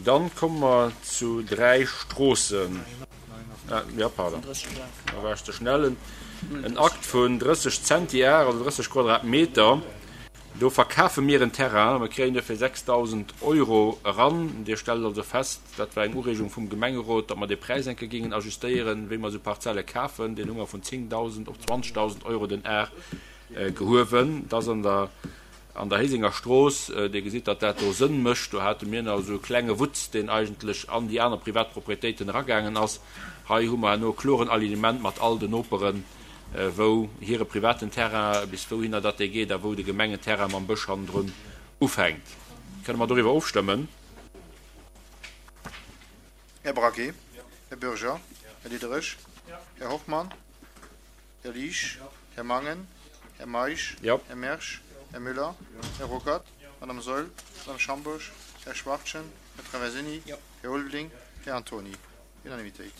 Dann komme mer zu 3 Stroossen. Jo, pardon, da war ech ze schnell. En Akt vun 30 Zentiar, also 30 Quadratmeter. Do verkafe mir en Terrain. Mir kréien duerfir 6.000 Euro eran. Dir stellt also fest, dat war eng Ureegung vum Gemengerot, datt mer dee Präis eng Kéier géingen ajustéieren, wéi mer esou Parzelle kafen. Deen hu mer vun 10.000 op 20.000 Euro den Ar gehuewen. Dat ass an der An der Héisenger Strooss, Dir gesitt, datt dat do Sënn mécht. Do hate mir nach esou e klenge Wutz, deen eigentlech an déi aner privat Proprietéiten eragaangen ass. Hei hu mer herno e kloren Alignement mat all den Noperen, wou hire privaten Terrain, bis wouhinner datt dee geet a wou de Gemengenterrain mam Bësch hannendrun ufänkt. Kënne mer doriwwer ofstëmmen? Här Braquet, Här Bürger, Här Diderich, Här Hoffmann, Här Liesch, Här Mangen, Här Meisch, Här Mersch, Här Müller, Här Ruckert, Madame Saeul, Madame Schambourg, Här Schwachtgen, Här Traversini, Här Ulveling, Här Antony. Unanimitéit.